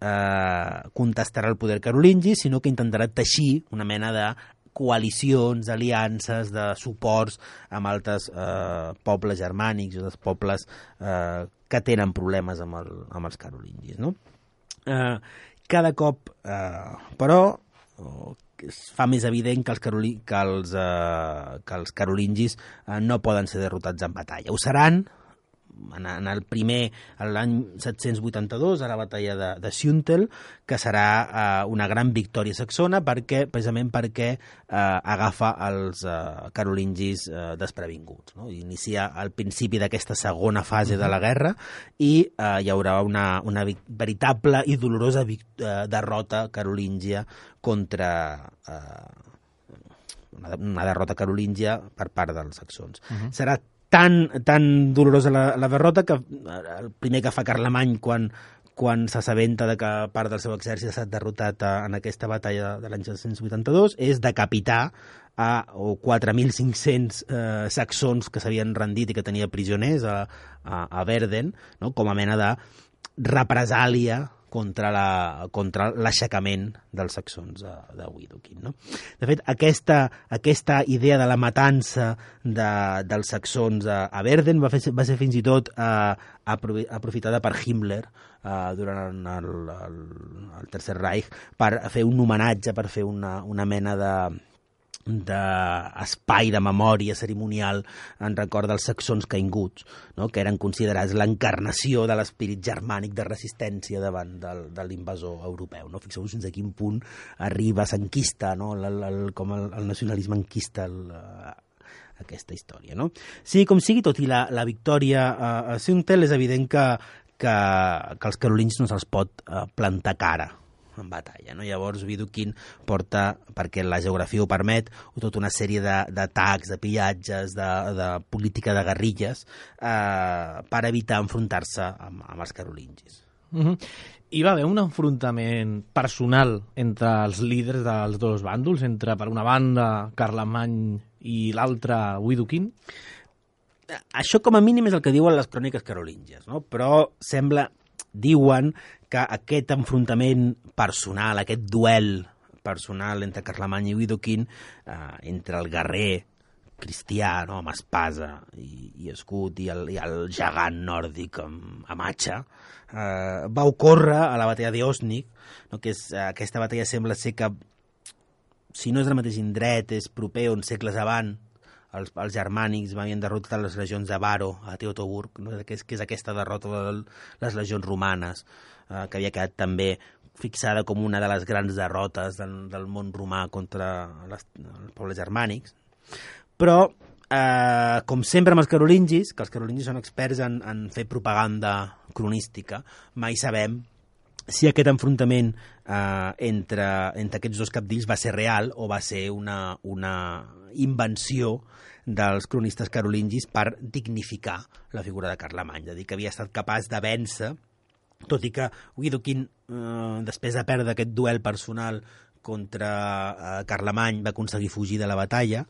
contestarà el poder carolingi, sinó que intentarà teixir una mena de coalicions, aliances, de suports amb altres pobles germànics o dels pobles que tenen problemes amb els carolingis, no? Cada cop, però, es fa més evident que els carolingis no poden ser derrotats en batalla. Ho seran l'any 782, a la batalla de Süntel, que serà una gran victòria saxona precisament perquè agafa els carolingis desprevinguts, no? Inicia el principi d'aquesta segona fase de la guerra i hi haurà una veritable i dolorosa derrota carolíngia contra una derrota carolíngia per part dels saxons. Serà tan dolorosa la derrota que el primer que fa Carlemany quan s'assabenta de que part del seu exèrcit ha estat derrotat en aquesta batalla de l'any 782 és decapitar 4.500 saxons que s'havien rendit i que tenia prisoners a Verden, no? Com a mena de represàlia contra l'aixecament dels saxons de Widukind, no? De fet, aquesta idea de la matança dels saxons a Verden va ser fins i tot aprofitada per Himmler durant el Tercer Reich per fer un homenatge, per fer una mena d'espai de memòria cerimonial en record dels saxons caiguts, no? Que eren considerats l'encarnació de l'espírit germànic de resistència davant de l'invasor europeu. No? Fixeu-vos fins a quin punt arriba, s'enquista, no? Com el nacionalisme enquista aquesta història. No? Sí, com sigui, tot i la victòria a Suntel, és evident que els carolingis no se'ls pot plantar cara en batalla, no? Llavors Widukind porta, perquè la geografia ho permet, tota una sèrie d'atacs, de pillatges, de política de guerrilles per evitar enfrontar-se amb els carolingis. Hi va haver un enfrontament personal entre els líders dels dos bàndols, entre, per una banda, Carlemany i l'altra, Widukind? Això com a mínim és el que diuen les cròniques carolíngies, no? Però diuen que aquest enfrontament personal, aquest duel personal entre Carlemany i Widukind, entre el guerrer cristià, no, amb espasa i escut, i el gegant nòrdic amb atxa, va ocórrer a la batalla d'Osnig, no, que és aquesta batalla sembla ser que, si no és del mateix indret, és proper on segles abans els germànics havien derrotat les legions de Varo a Teutoburg, no? que és aquesta derrota de les legions romanes, que havia quedat també fixada com una de les grans derrotes del món romà contra els pobles germànics. Però, com sempre amb els carolingis, que els carolingis són experts en fer propaganda cronística, mai sabem si aquest enfrontament entre aquests dos cabdills va ser real o va ser una invenció dels cronistes carolingis per dignificar la figura de Carlemany, és a dir, que havia estat capaç de vèncer, tot i que Widukind, després de perdre aquest duel personal contra Carlemany, va aconseguir fugir de la batalla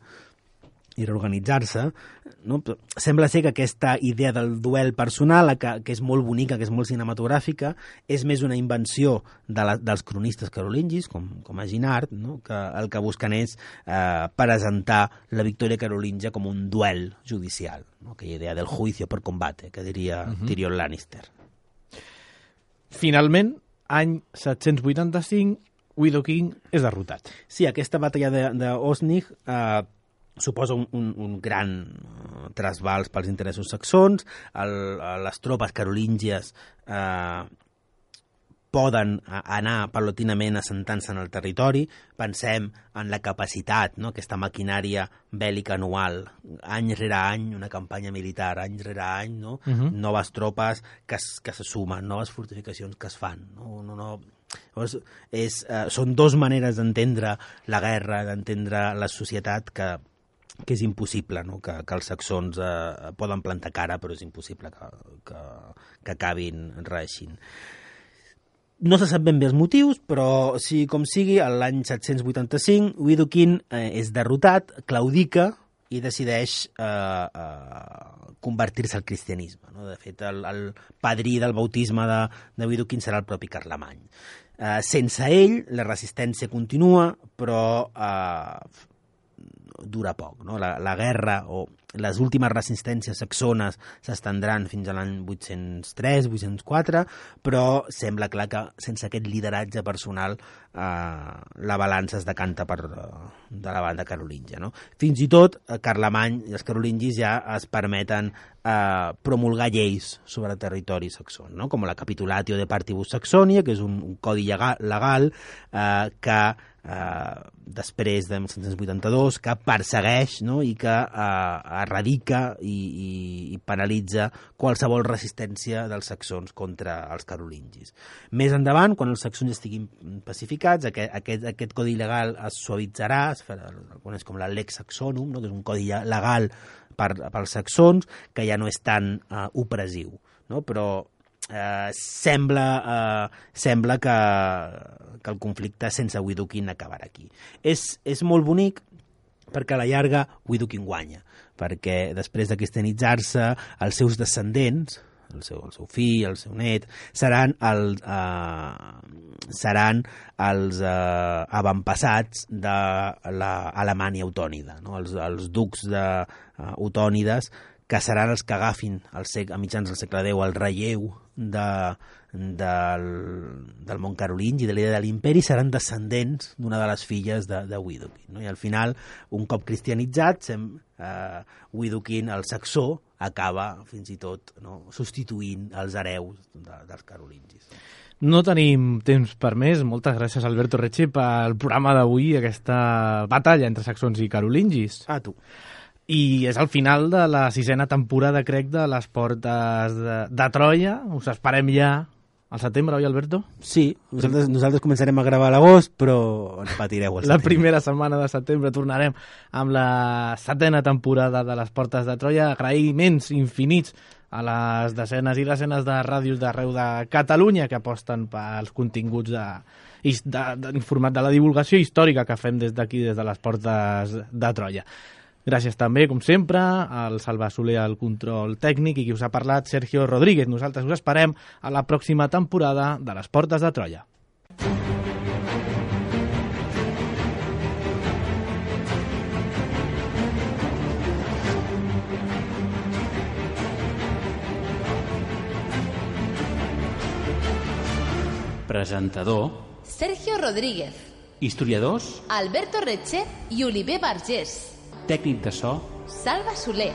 i reorganitzar-se, no? Sembla ser que aquesta idea del duel personal, que és molt bonica, que és molt cinematogràfica, és més una invenció dels cronistes carolingis, com a Ginard, no? Que el que busquen és presentar la victòria carolingia com un duel judicial, no? Aquella idea del juicio por combate, que diria Tyrion Lannister. Finalment, any 785, Widukind és derrotat. Sí, aquesta batalla d'Osnig suposa un gran trasbals pels interessos saxons. Les tropes carolíngies poden anar paulatinament assentant-se en el territori. Pensem en la capacitat, no? Aquesta maquinària bèl·lica anual, any rere any, una campanya militar, any rere any, no? Noves tropes que se sumen, noves fortificacions que es fan. Llavors, són dues maneres d'entendre la guerra, d'entendre la societat que és impossible, no? Que els saxons poden plantar cara, però és impossible que acabin reeixint. No se sap ben bé els motius, però sí com sigui, l'any 785 Widukind és derrotat, claudica i decideix convertir-se al cristianisme. No? De fet, el padrí del bautisme de Widukind serà el propi Carlemany. Sense ell, la resistència continua, però dura poc. No? La guerra o les últimes resistències saxones s'estendran fins a l'any 803-804, però sembla clar que sense aquest lideratge personal la balança es decanta de la banda carolíngia. No? Fins i tot Carlemany i els carolingis ja es permeten promulgar lleis sobre el territori saxon, no? Com la Capitulatio de Partibus Saxonia, que és un codi legal que després de 1782 que persegueix, no? I que erradica i penalitza qualsevol resistència dels saxons contra els carolingis. Més endavant, quan els saxons estiguin pacificats, aquest codi legal es suavitzarà, es coneix com la Lex Saxonum, no? Que és un codi legal pels saxons, que ja no és tan opressiu, no? Però sembla que el conflicte sense Widukind acabarà aquí. És molt bonic perquè a la llarga Widukind guanya, perquè després de cristianitzar-se els seus descendents el seu fill, el seu net, seran els avantpassats de l'Alemanya eutònida, no? Els ducs eutònides, que seran els que agafin a mitjans del segle X el relleu del món carolingi, de l'idea de l'imperi, seran descendents d'una de les filles de Widukind, no? I al final, un cop cristianitzat, Widukind, el saxó, acaba fins i tot, no, substituint els hereus dels carolingis. No tenim temps per més. Moltes gràcies, Alberto Recce, pel programa d'avui, aquesta batalla entre saxons i carolingis. A tu. I és el final de la 6a temporada, crec, de les Portes de Troia. Us esperem ja al setembre, oi, Alberto? Sí, nosaltres començarem a gravar a l'agost, però ens patireu al setembre. La primera setmana de setembre tornarem amb la 7a temporada de les Portes de Troia. Agraïments infinits a les desenes i desenes de ràdios d'arreu de Catalunya que aposten pels continguts informat de la divulgació històrica que fem des d'aquí, des de les Portes de Troia. Gràcies també, com sempre, al Salva Soler al control tècnic i qui us ha parlat, Sergio Rodríguez. Nosaltres us esperem a la pròxima temporada de les Portes de Troia. Presentador Sergio Rodríguez, historiadors, Alberto Recce i Oliver Vergés. tècnic de so Salva Soler.